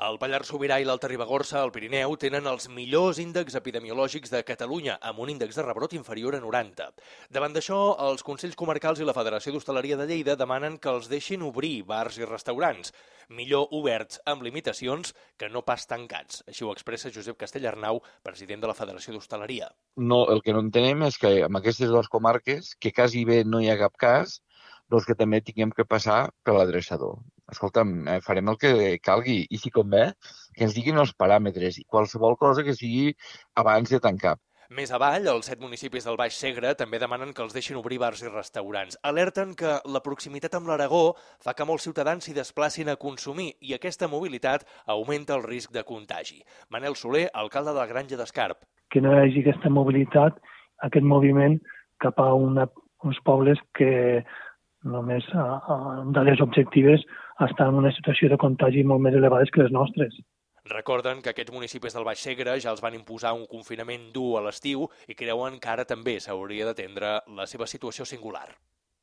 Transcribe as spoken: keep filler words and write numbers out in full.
El Pallars Sobirà i l'Alta Ribagorça, al Pirineu, tenen els millors índexs epidemiològics de Catalunya, amb un índex de rebrot inferior a noranta. Davant d'això, els Consells Comarcals i la Federació d'Hostaleria de Lleida demanen que els deixin obrir bars i restaurants, millor oberts amb limitacions que no pas tancats. Així ho expressa Josep Castellarnau, president de la Federació d'Hostaleria. No, el que no entenem és que en aquestes dues comarques, que quasi bé no hi ha cap cas, doncs que també tinguem que passar per l'adreçador. Escolta'm, farem el que calgui i, si convé, que ens diguin els paràmetres i qualsevol cosa que sigui abans de tancar. Més avall, els set municipis del Baix Segre també demanen que els deixin obrir bars i restaurants. Alerten que la proximitat amb l'Aragó fa que molts ciutadans s'hi desplacin a consumir i aquesta mobilitat augmenta el risc de contagi. Manel Soler, alcalde de la Granja d'Escarp. Que no hi hagi aquesta mobilitat, aquest moviment cap a una, uns pobles que només a, a dades objectives estan en una situació de contagi molt més elevades que les nostres. Recorden que aquests municipis del Baix Segre ja els van imposar un confinament dur a l'estiu i creuen que ara també s'hauria d'atendre la seva situació singular.